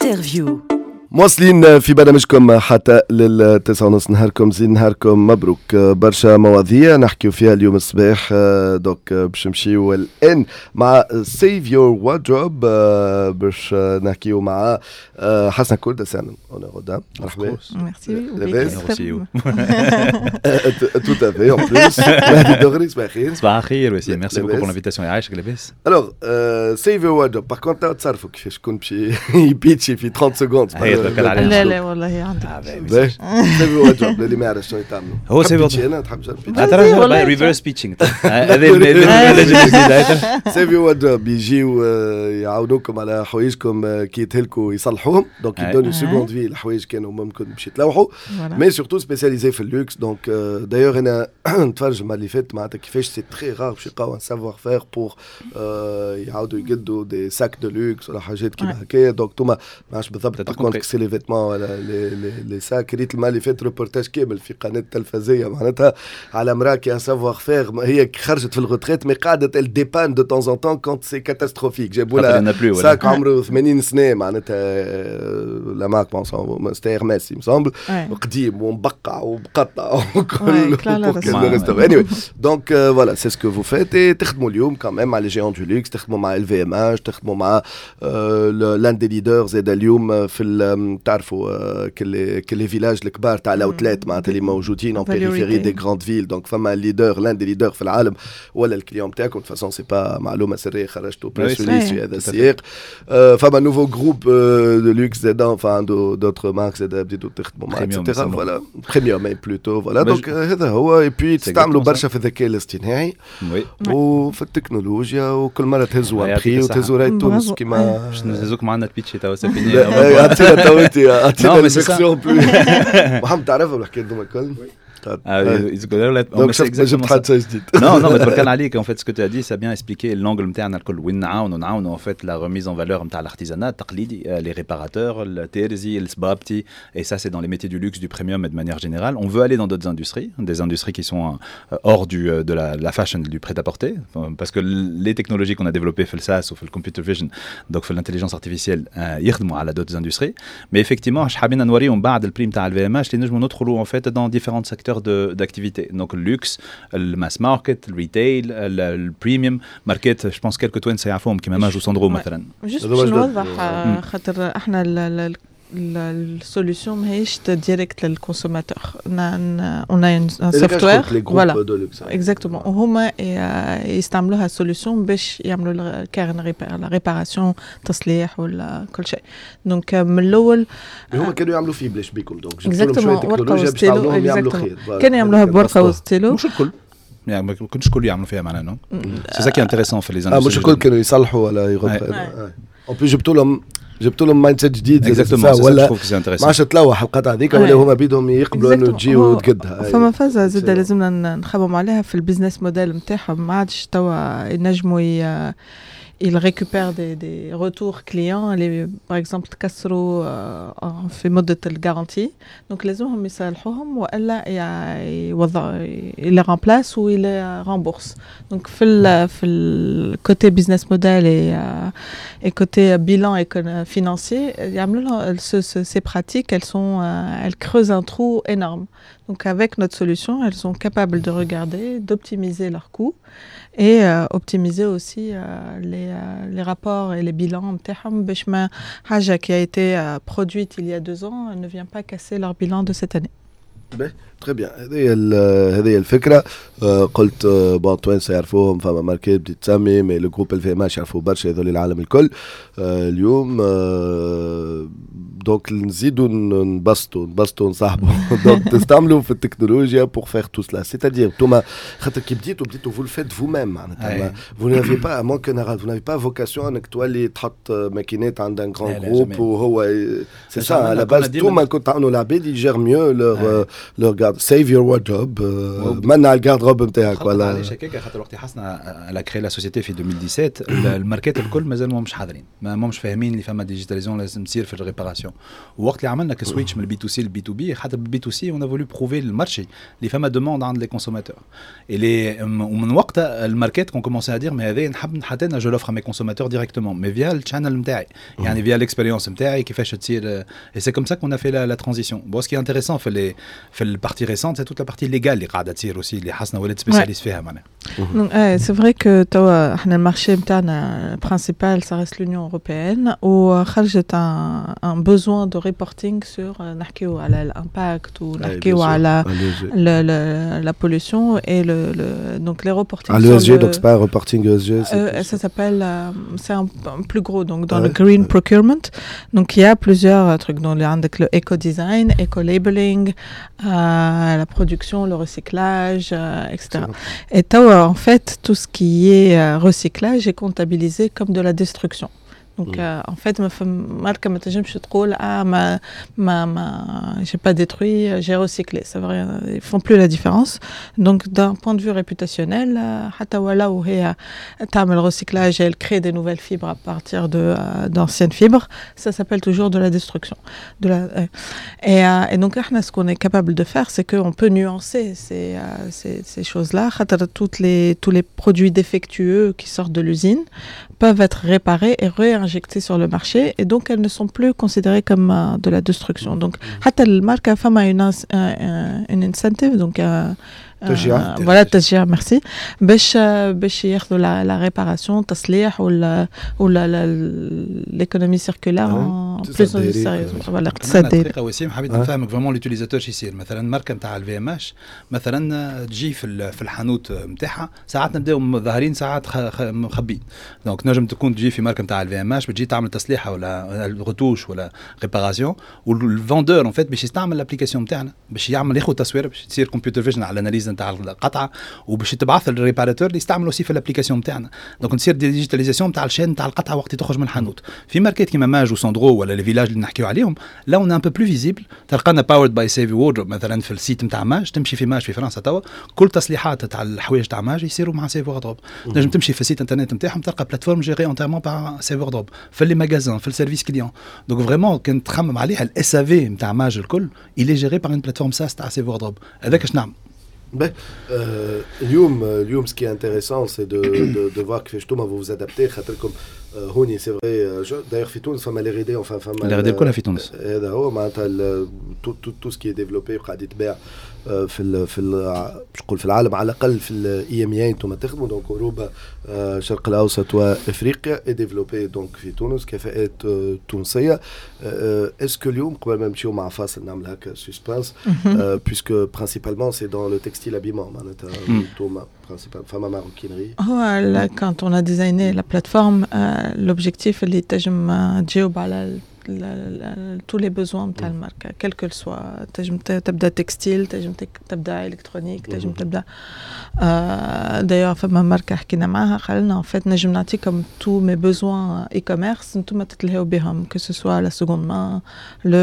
Interview. مواصلين في برنامجكم حتى لل9:30. نهاركم زين، نهاركم مبروك. برشا مواضيع نحكيو فيها اليوم الصباح، donc باش نمشيو الان مع Save Your Wardrobe، باش نحكيو مع حسن كولد سامن honneur. مرحبا. ميرسي. لاباس؟ tout à fait. en plus مهدي الدغري، صباح الخير. صباح الخير وسيم، merci beaucoup pour l'invitation. يعيشك، لاباس؟ alors Save Your Wardrobe، par contre تصرفوا كيفاش شكون باش يبيتشي في 30 secondes. لا لا والله عندك. Save Your Wardrobe، اللي ما يعرف شنو يتعملوا. هو Save انا تحب ترى reverse pitching هذا. Save Your Wardrobe يجيو يعاونوكم على حوايجكم كي يتهلكوا يصلحوهم، donc يدوني seconde vie الحوايج كانوا ممكن باش يتلوحوا، mais surtout spécialisé في ال luxe. donc d'ailleurs انا نتفرج المرة اللي فاتت معناتها كيفاش c'est très rare باش يلقاو un savoir-faire pour يعاودوا يقدوا des sacs de luxe ولا حاجات كيما هكايا. donc توما ما عرفتش بالضبط par contre c'est les vêtements ولا les sacs. ريت المرة اللي فات روبورتاج كامل في قناة تلفزيه معناتها على مراة qui a un savoir-faire، هي خرجت في ال retraite mais قعدت elle dépanne de temps en temps quand c'est catastrophique. جابوا لها sac عمره 80 سنة معناتها، la marque c'était Hermès il me semble، قديم ومبقع ومقطع وكل. anyway، donc voilà، c'est ce que vous faites. تخدموا اليوم quand même مع les géants du luxe، تخدموا مع LVMH، تخدموا مع l'un des leaders زاد اليوم في تعرفوا كل les villages الكبار تاع ال outlet معناتها اللي موجودين en périphérie des grandes villes. donc فما leader، l'un des leaders في العالم ولا ال client تاعكم. façon c'est pas معلومة سريه، خرجتوا press release في هذا السياق. فما nouveau groupe de luxe زاد، عنده d'autres marques زاد بديتوا تخدموا مع et cetera. voilà، premium plutôt، voilà. donc هذا هو. et puis تستعملوا برشا في الذكاء الاصطناعي وفي التكنولوجيا، وكل مرة تهزوا un prix وتهزوا راي تونس كيما باش نهزوك معنا تبيتشي توا c'est fini. اعطينا تو انت، اعطينا ال version. محمد، تعرفها الحكاية هذوما الكل؟ Donc جبت حاجة جديد. Non non، تبارك الله عليك. en fait ce que tu as dit، ça a bien expliqué l'angle نتاعنا الكل، وين نعاونوا en fait la remise en valeur نتاع l'artisanat التقليدي، les réparateurs، التيرزي، السبابتي، et ça c'est dans les métiers du luxe، du premium et de manière générale. on veut aller dans d'autres industries، des industries qui sont hors de la fashion، du prêt-à-porter، parce que les technologies qu'on a développées في ال SaaS ou في computer vision، donc في l'intelligence artificielle، يخدموا على d'autres industries. mais effectivement اش حابين نوريهم بعد ال prix تاع LVMH اللي نجموا ندخلوا en fait dans différents secteurs d'activité. Donc le luxe، le mass market، le retail، le premium market. Je pense quelques توانسة يعرفوهم كيما Maje و Sandro مثلا. juste باش نوضح، خاطر احنا ال solution ماهيش directe لل consommateur، on a un software، voilà، exactement. وهما يستعملوها solution باش يعملوا care and repair، la réparation، تصليح ولا كل شيء. donc من الاول هما كانوا يعملوا فيه بلاش بيكم، donc جبتوا لهم شوية تكنولوجيا باش تعاونوهم يعملوا خير. كانوا يعملوها بورقه وستيلو. مش الكل، يعني ما كنتش الكل يعملوا فيها معناها، non، c'est ça qui est intéressant في les مش الكل كانوا يصلحوا ولا يغطوا. en plus جبتوا لهم mindset جديد ولا ما عادش تلوح القطعة هذيك، ولا هما بيدهم يقبلوا انه تجي وتقدها. فما فازة زاد لازمنا نخمم عليها في ال business model نتاعهم، ما عادش توا ينجموا ils récupèrent des retours clients اللي par exemple تكسروا في مدة ال garantie، donc لازمهم يصلحوهم والا يوضع ils les remplacent ou ils les remboursent. donc في ال côté business model et côté bilan financier يعملوا لهم ces pratiques، elles creusent un trou énorme. donc avec notre solution، elles sont capables de regarder، d'optimiser leurs coûts et optimiser aussi les rapports et les bilans نتاعهم باش ما حاجة qui a été produite il y a 2 ans ne vient pas casser leur bilan de cette année. très bien، هذه هي الفكره. قلت bon توانسة يعرفوهم، فما ماركات بديت تسمي، mais le groupe LVMH يعرفوا برشا هذول العالم الكل اليوم. donc نزيدوا نبسطوا نصاحبوا. donc تستعملوا في التكنولوجيا pour faire tout cela، c'est-à-dire انتوما خاطر كي بديتوا vous le faites vous-même، معناتها vous n'avez pas manque، vous n'avez pas vocation انك تولي تحط ماكينات عند un grand groupe، وهو c'est ça à la base. انتوما كنت تعاونوا العباد ي gèrent mieux leur garde، save your wardrobe، منع ال garde-robe نتاعك. ولا علاش هكاك؟ خاطر وقت حسنا elle a créé la société في 2017، الماركات الكل مازالوا مش حاضرين، ما مش فاهمين اللي فما digitalisation لازم تصير في ال réparation. ووقت اللي عملنا switch من ال B2C لل B2B، حتى بال B2C on a voulu prouver لل marché اللي فما demande عند les consommateurs اللي ومن وقتها الماركات ont commencé à dire mais هذا نحب حتى انا je l'offre à mes consommateurs directement mais via ال channel نتاعي، يعني via l'expérience نتاعي كيفاش تصير. et c'est comme ça qu'on a fait la transition. bon، ce qui est intéressant في ال partie récente، c'est toute la partie légale اللي قاعدة تصير aussi، اللي حسنا ولات spécialiste فيها معناها. c'est vrai que توا احنا ال marché نتاعنا principal ça reste l'Union européenne، وخرجت un besoin de reporting sur نحكيو على l'impact ونحكيو على la pollution et donc les reporting. Ah, l'ESG, donc c'est pas un reporting ESG. Ça s'appelle, c'est un plus gros, donc dans le green procurement. Donc il y a plusieurs trucs, donc عندك le eco-design, eco-labeling, la production, le recyclage, etc. Et توا en fait, tout ce qui est recyclage est comptabilisé comme de la destruction. Donc en fait ما ماركة ما تنجمش تقول اه ما j'ai pas détruit، j'ai recyclé، ça veut rien، ils font plus la différence. donc d'un point de vue réputationnel، حتى ولو هي تعمل recyclage، elle crée des nouvelles fibres à partir de d'anciennes fibres، ça s'appelle toujours de la destruction de la et donc احنا ce qu'on est capable de faire، c'est qu'on peut nuancer ces choses-là، خاطر toutes les tous les produits défectueux qui sortent de l'usine peuvent être réparés et réinjectés sur le marché et donc elles ne sont plus considérées comme de la destruction. donc حتى الماركة فما une incentive، donc تشجيع. voilà، تشجيع، ميرسي، باش ياخذوا la réparation، تصليح ولا l'économie circulaire plus sérieuse، voilà، الاقتصاد الدائري. دقيقة وسيم، حبيت نفهمك vraiment l'utilisateur شو يصير. مثلا ماركة نتاع LVMH مثلا تجي في الحانوت نتاعها، ساعات نبداو ظاهرين، ساعات مخبين. donc نجم تكون تجي في ماركة نتاع LVMH، بتجي تعمل تصليحه ولا رتوش ولا réparation، وال vendeur en fait باش يستعمل l'application نتاعنا باش يعمل ياخذ تصوير، باش تصير computer vision على l'analyse نتاع القطعه، وباش تبعث لل réparateur اللي يستعملوا aussi في l'application نتاعنا. donc تصير digitalisation نتاع ال chaîne نتاع القطعة وقت تخرج من الحانوت. في ماركات كيما Maje و Sandro ولا les villages اللي نحكيو عليهم، là on est un peu plus visible، تلقانا powered by Save Wardrobe مثلا في ال site نتاع Maje. تمشي في Maje في فرنسا توا، كل تصليحات تاع الحوايج تاع Maje يصيروا مع Save Wardrobe. تنجم تمشي في ال site internet نتاعهم تلقى plateforme gérée entièrement par Save Wardrobe في les magasins، في ال service client. donc vraiment كان تخمم عليها، ال SAV نتاع Maje الكل il est géré par une plateforme SaaS تاع Save Wardrobe. هذاك اش نعمل. Ben, اليوم ce qui est intéressant، c'est de voir كيفاش انتوما vous vous adaptez، خاطركم هوني c'est vrai، d'ailleurs في تونس فما l'R&D، enfin فما l'R&D كلها في تونس. هذا هو معناتها tout ce qui est développé قاعد يتباع في باش نقول في العالم، على الاقل في ال EMEA انتم تخدموا، donc اوروبا، الشرق الاوسط وافريقيا، est développé donc في تونس، كفاءات تونسيه. est-ce que اليوم، قبل ما نمشيو مع فاصل، نعمل هكا suspense، puisque principalement c'est dans le textile habillement معناتها انتوما principal فما maroquinerie؟ هو quand on a designé la plateforme، l'objectif اللي تنجم تجاوب على tous les besoins نتاع الماركه، quel que soit، تنجم تبدا textile، تنجم تبدا électronique، تنجم تبدا، d'ailleurs فما ماركة حكينا معاها، قال لنا en fait نجم نعطيكم tous mes besoins e-commerce، انتم تتلهوا بهم، que ce soit la seconde main، le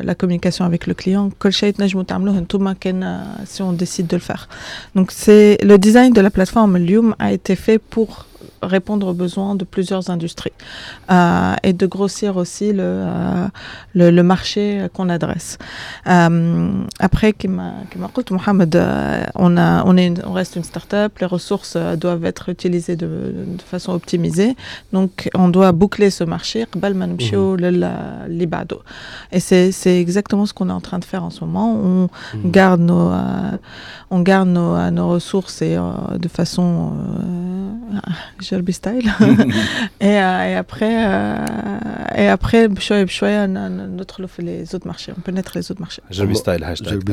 la communication avec le client، كل شيء تنجموا تعملوه انتم كان si on décide de le faire. donc c'est le design de la plateforme اليوم a été fait pour répondre aux besoins de plusieurs industries et de grossir aussi le marché qu'on adresse. Après, كما قلت محمد، on reste une start-up، les ressources doivent être utilisées de façon optimisée, donc on doit boucler ce marché قبل ما نمشيو للي بعده. Et c'est exactement ce qu'on est en train de faire en ce moment. On garde nos ressources et de façon جربي style et après بشوية بشوية ندخلوا في les autres marchés، on pénètre les autres marchés. جربي style hashtag.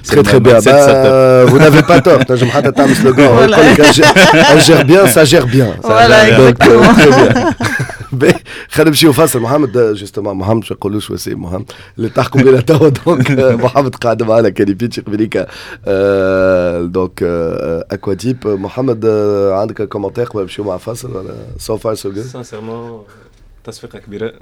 Très très bien. Bah, vous n'avez pas tort. تنجم حتى تعمل slogan يقول لك elle gère bien، ça gère bien. Voilà، exactement. Très bien. باهي، خلينا نمشيو فاصل. محمد، justement محمد، باش نقولوش وسيم، محمد اللي تحكم بنا توا. donc محمد قاعد معنا، كان يبيتشي قبليك donc Aquadeep. محمد، عندك commentaire قبل نمشيو مع فاصل ولا so far so good؟ Sincèrement, تصفيقه كبيره.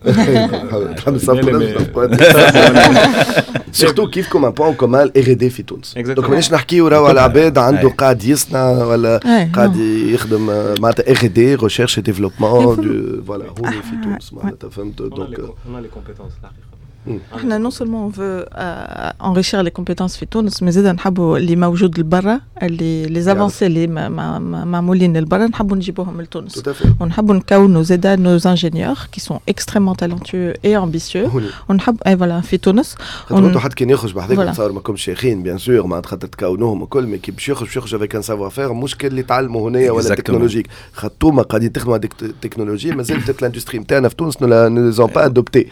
surtout كيفكم un point commun R&D في تونس، donc مانيش نحكيو راهو على عباد عنده قاعد يصنع ولا قاعد يخدم، معناتها R&D، recherche développement، voilà، هوني في تونس معناتها، فهمت؟ donc on a les compétences الحقيقه. احنا non seulement on veut enrichir les compétences في تونس، mais زاد نحبوا اللي موجود لبرا، اللي les avancées اللي معمولين لبرا نحبوا نجيبوهم لتونس، ونحبوا نكونوا زاد nos ingénieurs qui sont extrêmement talentueux et ambitieux ونحب اي voilà في تونس. خاطر حد كان يخرج بحذاك، تصور ماكمش شيخين bien sûr، معناتها خاطر تكونوهم الكل، mais كي باش يخرج، باش يخرج avec un savoir-faire مش كان اللي تعلموا هنايا ولا technologique، خاطر قاعدين تخدموا هذيك التكنولوجيا مازالت l'industrie نتاعنا في تونس ne les ont pas adoptées،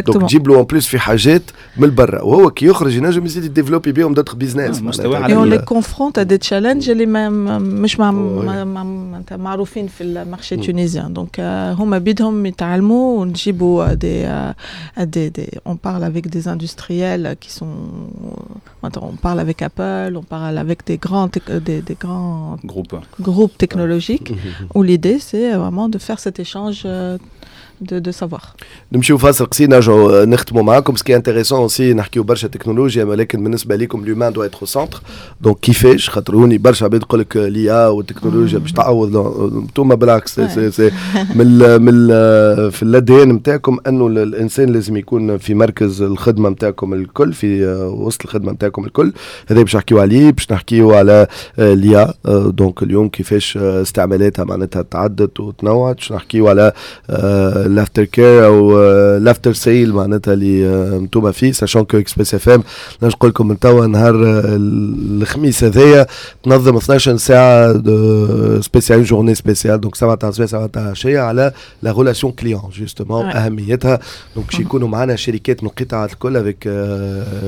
donc تجيب له en plus في حاجات من برا، وهو كي يخرج ينجم يزيد ي développer بهم d'autres business. مستوى. Et on les confronte à des challenges اللي ما مش مع معروفين في ال marché tunisien، donc هما بيدهم يتعلموا ونجيبوا des on parle avec des industriels qui sont، on parle avec Apple، on parle avec des grands groupes groupes technologiques où l'idée c'est vraiment de faire cet échange de savoir. نمشيو فاصل قصير، نرجعوا نختموا معاكم. ce qui est intéressant aussi، نحكيو برشا تكنولوجيا، ولكن بالنسبه لكم l'humain doit être au centre، donc كيفاش؟ خاطر هوني برشا عباد يقول لك l'IA والتكنولوجيا باش تعوض، انتوما بالعكس، c'est من في l'ADN نتاعكم انه الانسان لازم يكون في مركز الخدمه نتاعكم الكل، في وسط الخدمه نتاعكم الكل. هذا باش نحكيو عليه، باش نحكيو على l'IA، donc اليوم كيفاش استعمالاتها معناتها تعدت وتنوعت، باش نحكيو على l'after care او l'after sale معناتها اللي انتوما فيه، sachant que Express FM، نقول لكم من توا، نهار الخميس هذايا تنظم 12 ساعه spéciale، journée spéciale، donc 7 تاع الصباح 7 تاع العشيه على la relation client justement اهميتها. donc باش يكونوا معنا شركات من القطاعات الكل avec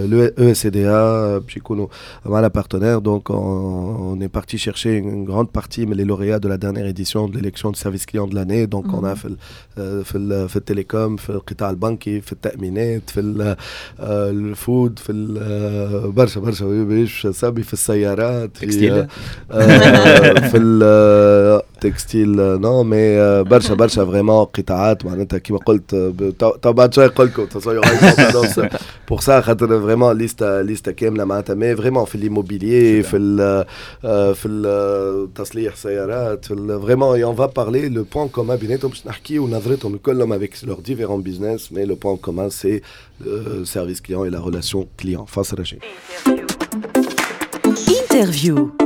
l'ESCDA باش يكونوا معنا partenaires، donc on est parti chercher une grande partie من les lauréats de la dernière édition de l'élection de service client de l'année. donc on a في ال télécom، في القطاع البنكي، في التامينات، في ال food، في برشا برشا باش سامي، في السيارات، في textile. في ال textile non، mais برشا برشا vraiment قطاعات معناتها كيما قلت، تو بعد شوي نقول لكم pour ça، خاطر vraiment liste كامله معناتها، mais vraiment في l'immobilier، في التصليح سيارات، في vraiment on va parler le point commun بيناتهم، باش نحكيو نظرتهم كلهم avec leurs différents business، mais le point commun c'est le service client et la relation client. فاصل رجعي. interview.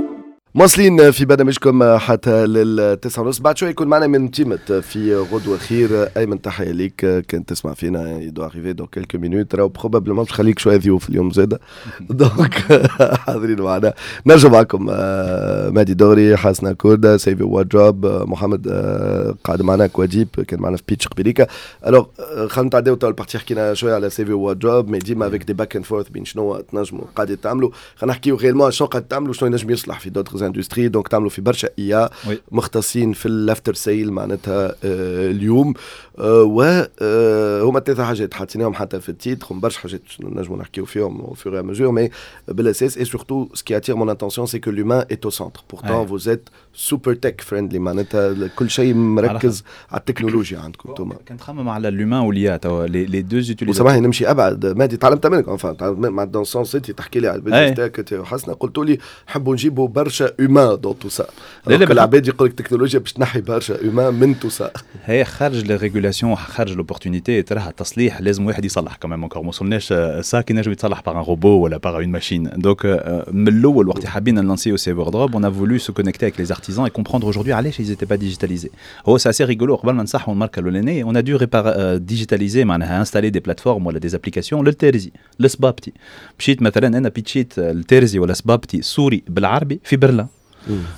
مواصلين في برنامجكم حتى لل9:30. بعد شوي يكون معنا من تيمت في غدوة خير. أيمن، تحية ليك كنت تسمع فينا، il doit arriver dans quelques minutes، راهو probablement باش خليك شوية ضيوف اليوم زادة، donc حاضرين معنا. نرجع معكم مهدي دغري، حسنة كوردة، Save Wardrobe، محمد قاعد معنا كواديب كان معنا في pitch قبليكا. alors خلينا نتعداو تو ال partie، حكينا شوية على Save Wardrobe، mais ديما avec des back and forth بين شنو تنجموا قاعدين تعملوا، خلينا نحكيو réellement شنو قاعد تعملوا، شنو ينجم يصلح في d'autres industries. donc تعملوا في برشا IA، مختصين في ال after sale معناتها اليوم، و هما ثلاثه حاجات حاطينهم حتى في ال titre، هم برشا حاجات نجموا نحكيو فيهم au fur et à mesure، mais بالاساس et surtout ce qui attire mon attention c'est que l'humain est au centre، pourtant vous êtes super tech friendly، معناتها كل شيء مركز على التكنولوجيا عندكم انتم. كان تخمم على l'humain و l'IA توا les deux utilisateurs. وسامحني نمشي ابعد مهدي، تعلمت منك، enfin dans le sens انت تحكي لي على ال business تاعك حسنا، قلت لي نحبوا نجيبوا برشا humain dans tout ça. العباد يقول لك التكنولوجيا باش تنحي برشا humain من tout ça. هي خارج les régulations، خارج l'opportunité، تراها التصليح لازم واحد يصلح quand même، encore ما وصلناش ça كي نجم يتصلح par un robot ولا par une machine. donc من الاول وقت حابين نلانسيو Save Wardrobe، on a voulu se connecter avec les artisans et comprendre aujourd'hui علاش ils étaient pas digitalisés. هو c'est assez rigolo، قبل ما نصحوا الماركه الاولانيه on a dû digitaliser، معناها installer des plateformes ولا des applications للترزي للسبابتي. مشيت مثلا انا بيتشيت الترزي ولا سبابتي سوري بالعربي في برلين،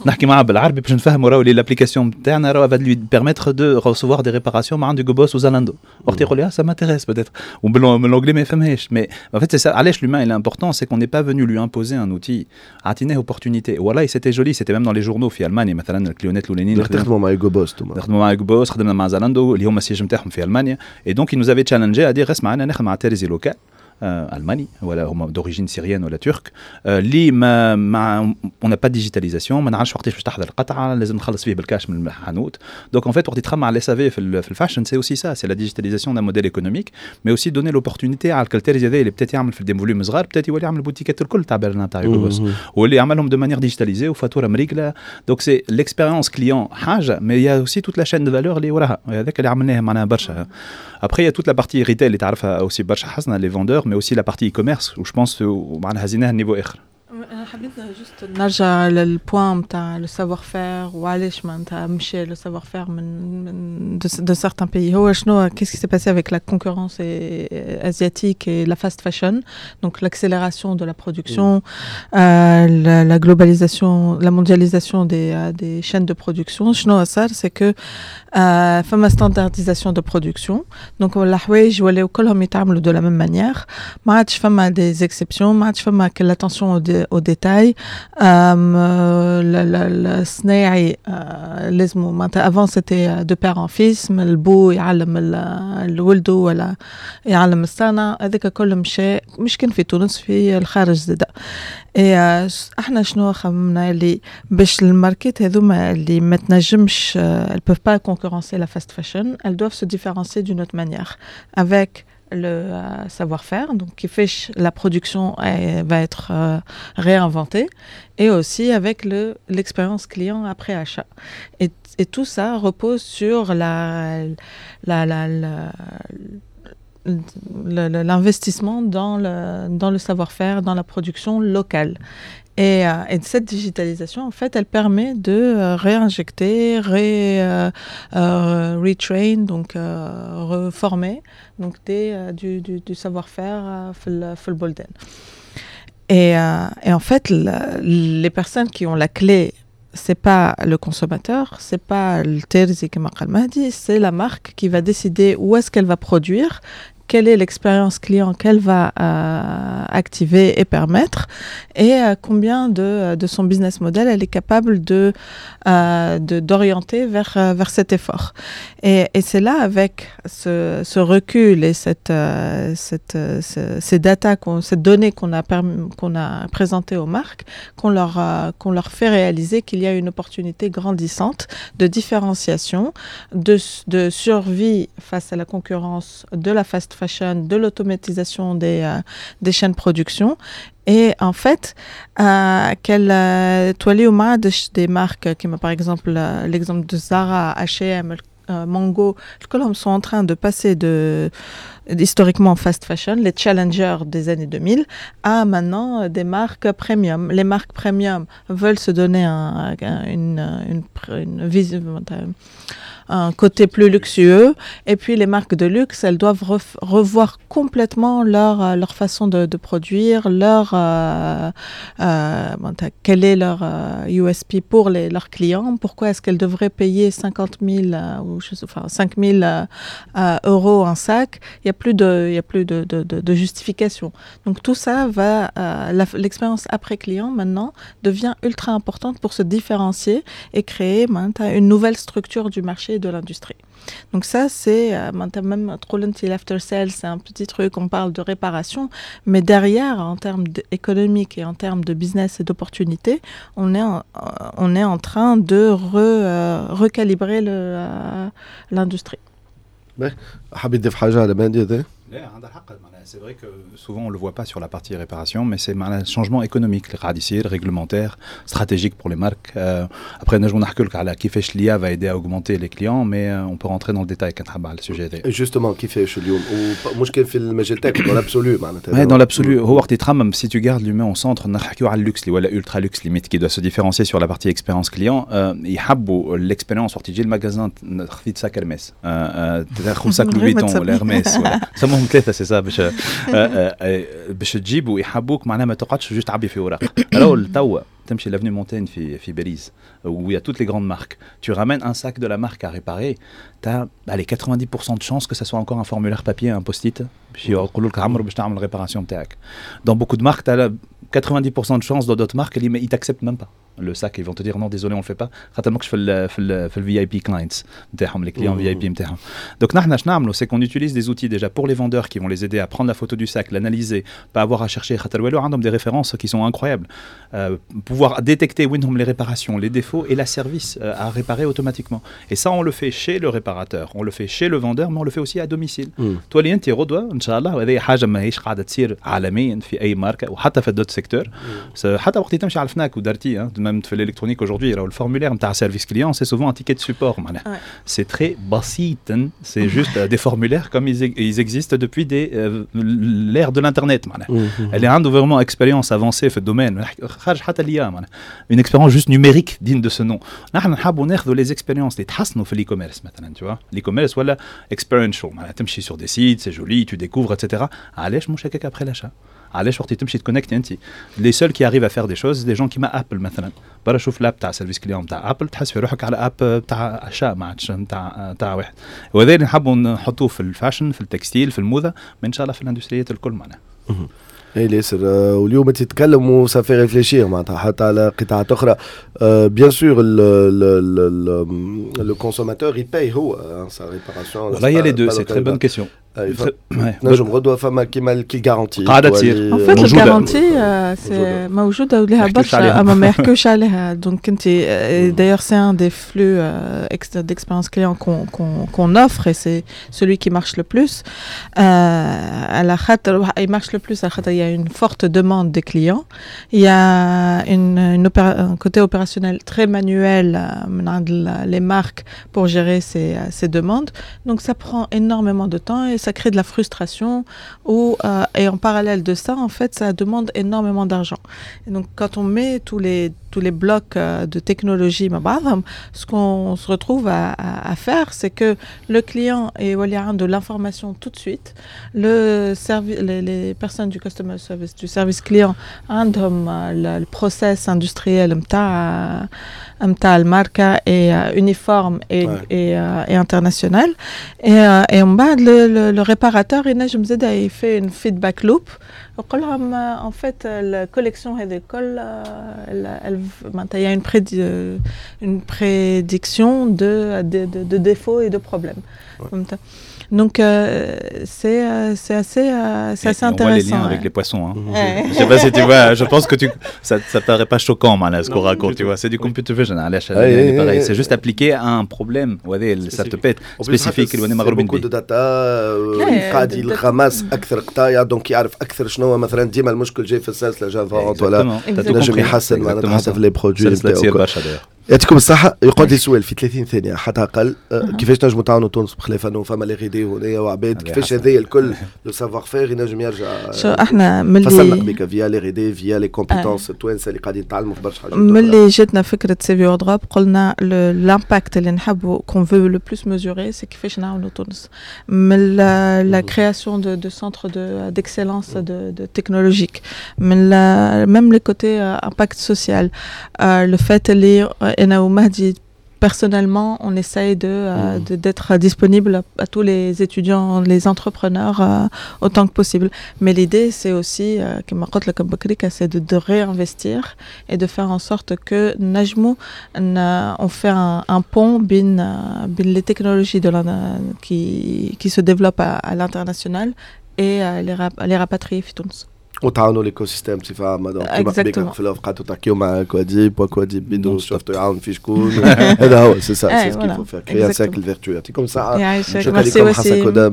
نحكي معاه بالعربي باش نفهموا راهو les l'application نتاعنا راهو va lui permettre de recevoir des réparations مع عند Hugo Boss و Zalando. وقت يقول لي ça m'intéresse peut-être، وبال anglais ما يفهمهاش. mais en fait c'est ça علاش l'humain il est important، c'est qu'on n'est pas venu lui imposer un outil، عطيناه opportunité. والله c'était joli، c'était même dans les journaux في المانيا مثلا، الكليونات الاولانيين. تخدموا مع Hugo Boss؟ نخدموا مع Hugo Boss، خدمنا مع Zalando اللي هما ال siège نتاعهم في المانيا، et donc ils nous avaient challengé à dire اسمع، انا نخدم مع ترزي local الماني ولا هما d'origine syrienne ولا turque، اللي ما on n'a pas digitalisation، ما نعرفش وقتاش باش تحضر القطعه، لازم نخلص فيه بالكاش من الحانوت. donc en fait وقت تخمم على SAV في ال fashion، c'est aussi ça، c'est la digitalisation d'un modèle économique، mais aussi donner l'opportunité على الترزي هذا اللي peut-être يعمل في des volumes صغار، peut-être يولي يعمل بوتيكات الكل تاع برلين، تاع Hugo Boss، واللي يعملهم de manière digitalisée وفاتوره مريقله. donc c'est l'expérience client حاجه، mais il y a aussi toute la chaîne de valeur اللي وراها، هذاك اللي عملناه معناها برشا. Après, il y a toute la partie retail اللي تعرفها aussi برشا حسنه، les vendeurs، mais aussi la partie e-commerce où je pense معناها هزيناها niveau اخر. انا حبيت juste نرجع لل point نتاع le savoir-faire، وعلاش معناتها مشى le savoir-faire من de certains pays. هو شنو qu'est-ce qui s'est passé avec la concurrence asiatique et la fast fashion؟ donc l'accélération de la production، la globalisation، la mondialisation des chaînes de production. شنو صار؟ c'est que فما standardisation de production، donc الحوايج ولاو كلهم يتعملوا de la même manière، ما عادش فما des exceptions، ما عادش فما l'attention au détail. الصناعي لازم معناتها avant c'était de père en fils، من البو يعلم الولدو ولا يعلم الصنعة. هذاك كل مشى، مش كان في تونس، في الخارج زادا. إيه، احنا شنو خممنا؟ اللي باش الماركات هذوما اللي ما تنجمش، elles peuvent pas concurrencer la fast fashion، elles doivent se différencier d'une autre manière avec le savoir-faire، donc كيفاش la production va être réinventée، et aussi avec l'expérience client après achat. Et tout ça repose sur l'investissement dans le savoir-faire، dans la production locale. Et cette digitalisation، en fait، elle permet de réinjecter، retrain، donc reformer donc du savoir-faire في البلدان. Et en fait، les personnes qui ont la clé، c'est pas le consommateur، c'est pas الترزي كما قال مهدي، c'est la marque qui va décider où est-ce qu'elle va produire، quelle est l'expérience client qu'elle va activer et permettre، et combien de son business model elle est capable d'orienter vers cet effort. Et c'est là، avec ce recul et ces data، cette donnée qu'on a présentée aux marques، qu'on leur fait réaliser qu'il y a une opportunité grandissante de différenciation، de survie face à la concurrence de la fast fashion، de l'automatisation des chaînes de production. Et en fait، qu'elle توليو ما عادش des marques كيما par exemple l'exemple de Zara، H&M، Mango، كلهم sont en train de passer de historiquement fast fashion، les challengers des années 2000، à maintenant des marques premium. Les marques premium veulent se donner une vision، un côté plus luxueux. Et puis les marques de luxe، elles doivent revoir complètement leur façon de produire، quel est leur USP pour leurs clients، pourquoi est-ce qu'elles devraient payer 50 000 ou je sais، enfin 5 000 euros un sac. Il y a plus de justification. Donc tout ça va, l'expérience après client maintenant devient ultra importante pour se différencier et créer une nouvelle structure du marché et de l'industrie. Donc ça، c'est même l'after sales، c'est un petit truc، on parle de réparation، mais derrière، en termes économiques et en termes de business et d'opportunités، on est en train de recalibrer l'industrie. حبيت تضيف حاجة على مهدي هذا؟ لا، عندها الحق. معناها c'est vrai que souvent on le voit pas sur la partie réparation، mais c'est معناها changement économique اللي قاعد يصير، réglementaire، stratégique pour les marques. Après نجمو نحكي لك على كيفاش l'IA va aider à augmenter les clients، mais on peut rentrer dans le détail كان تحب على ال sujet هذا. justement، كيفاش اليوم؟ ومش كان في المجال تاعك، dans l'absolu معناتها. Ouais، dans l'absolu، هو وقت يتخمم si tu gardes l'humain au centre، نحكيو على ال luxe اللي ولا ultra luxe limite، qui doit se différencier sur la partie expérience client، يحبوا l'expérience وقت يجي ال magasin، خذيت sac Hermès، تاخذ sac Louis Vuitton ولا Hermès ولا سموهم ثلاثه، c'est ça، باش تجيبوا يحبوك معناها ما تقعدش juste تعبي في اوراق. راهو توا تمشي l'avenue Montaigne في باريس où il y a toutes les grandes marques، tu ramènes un sac de la marque à réparer، tu as، allez، 90% de chances que ça soit encore un formulaire papier، un post-it، باش يقولوا لك عمرو باش تعمل réparation تاعك. dans beaucoup de marques، tu as 90% de chances، dans d'autres marques اللي ils t'acceptent même pas. le sac, ils vont te dire non, désolé, on le fait pas. خاطر ماكش في ال VIP clients نتاعهم, les clients VIP نتاعهم. Donc نحن اش نعملوا, c'est qu'on utilise des outils déjà pour les vendeurs qui vont les aider à prendre la photo du sac, l'analyser, pas avoir à chercher, خاطر والو عندهم des références qui sont incroyables. Pouvoir détecter وينهم les réparations, les défauts et la service à réparer automatiquement. Et ça, on le fait chez le réparateur, on le fait chez le vendeur, mais on le fait aussi à domicile. تولي انت غدوه ان شاء الله, وهذه حاجه ماهيش قاعده تصير عالميا في اي ماركه وحتى في d'autres secteurs, حتى وقت تمشي على الفناك و Darty, même في l'électronique aujourd'hui, راهو ال formulaire نتاع service client, c'est souvent un ticket de support معناها. C'est très بسيط, c'est juste des formulaires comme ils existent depuis l'ère de l'internet معناها. اللي عنده vraiment expérience avancée في ال domaine, خارج حتى l'IA معناها, une expérience juste numérique digne de ce nom. نحن نحبوا ناخذوا les expériences اللي تحسنوا في l'e-commerce مثلا, tu vois, l'e-commerce ولا experiential معناها تمشي sur des sites, c'est joli, tu découvres, etc. علاش مش هكاك après l'achat? علاش وقت تمشي تكونكتي انت, les seuls qui arrivent à faire des choses, des gens كيما Apple مثلا, برا شوف l'app تاع service client تاع Apple, تحس في روحك على app تاع achat ما عادش نتاع واحد. وهذا اللي نحبوا نحطوه في ال fashion, في ال textile, في الموضه, ان شاء الله في الاندستريات الكل معناها. اي ياسر, واليوم تتكلم و ça fait réfléchir معناتها حتى على قطاعات اخرى. Bien sûr, le consommateur, il paye هو sa réparation. والله il y a les deux, c'est très bonne question. نجم غدوه فما كيما كي garantie. قاعده تصير. En fait, ال garantie c'est موجوده ولها برشا, اما ما يحكوش عليها. Donc انت d'ailleurs, c'est un des flux d'expérience client qu'on offre et c'est celui qui marche le plus, على خاطر il marche le plus على خاطر il y a une forte demande des clients, il y a un côté opérationnel très manuel من عند les marques pour gérer ces demandes, donc ça prend énormément de temps et ça crée de la frustration et en parallèle de ça, en fait, ça demande énormément d'argent. Et donc quand on met tous les blocs de technologie مع بعضهم, ce qu'on se retrouve à faire, c'est que le client يولي عنده l'information tout de suite, les personnes du customer service, du service client, عندهم le process industriel نتاع الماركة est uniforme et international et من بعد le réparateur ينجم زاده il fait une feedback loop, يقول لهم en fait la collection هذه الكل معناتها il y a une prédiction de défauts et de problèmes. فهمت؟ Donc c'est assez Et on voit les intéressant. Liens avec les poissons. Hein. Ouais. Je sais pas si tu vois, je pense que ça paraît pas choquant, معناها, ce qu'on Non, raconte, du tu tout. vois. C'est du computer vision, علاش Ouais, يعني pareil. ouais, C'est juste appliqué à un problème, وهذا ça te pète spécifique اللي مغروبين beaucoup به. de data, قاعد data. ي ramasse اكثر قطايع, donc يعرف اكثر شنو هو مثلا ديما المشكل جاي في السلسله جافا ولا Exactement. T'as tout نجم compris. يحسن معناتها Exactement حتى ça. في les produits. سلسلة تصير برشا d'ailleurs. يعطيكم الصحة. يقعد لي سؤال في 30 ثانية حتى أقل, كيفاش نجموا تعاونوا تونس بخلاف أنه فما les R&D هنايا وعباد, هذه كيفاش حسن. هذايا الكل le savoir-faire ينجم يرجع؟ شو احنا ملي فصلنا قبيك via les R&D, via les compétences التوانسة اللي قاعدين يتعلموا في برشا حاجات. ملي جاتنا فكرة CV Wardrobe, قلنا l'impact اللي نحبوا, qu'on veut le plus mesurer, c'est كيفاش نعاونوا تونس من la création de centres d'excellence de technologique, من même le côté impact social, le fait اللي انا ومهدي personnellement, on essaye d'être disponible à tous les étudiants, les entrepreneurs, autant que possible. Mais l'idée, c'est aussi, كما قلت لكم بكري, c'est de réinvestir et de faire en sorte que نجمو, on fait un pont بين les technologies qui se développent à l'international et les rapatrier في تونس. وتعاونوا l'écosystème بصفه عامه, donc كيما قبيك Exactement. في الأوف قعدتوا تحكيو مع كواديب وكواديب بيدو شفتوا يعاون في شكون, هذا هو, c'est ça, c'est ce qu'il faut faire, créer un Exactement. cercle vertueux. يعطيكم الصحه. يعيشك. شكرا ميرسي لكم حسن وسيم. كودا,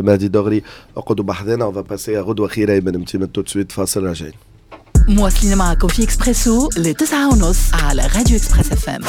مهدي دغري, اقعدوا بحذنا, on va passer غدوه خير ايمن متي tout de suite, فاصل راجعين. مواصلين معكم في اكسبريسو ل9:30 على راديو Express FM.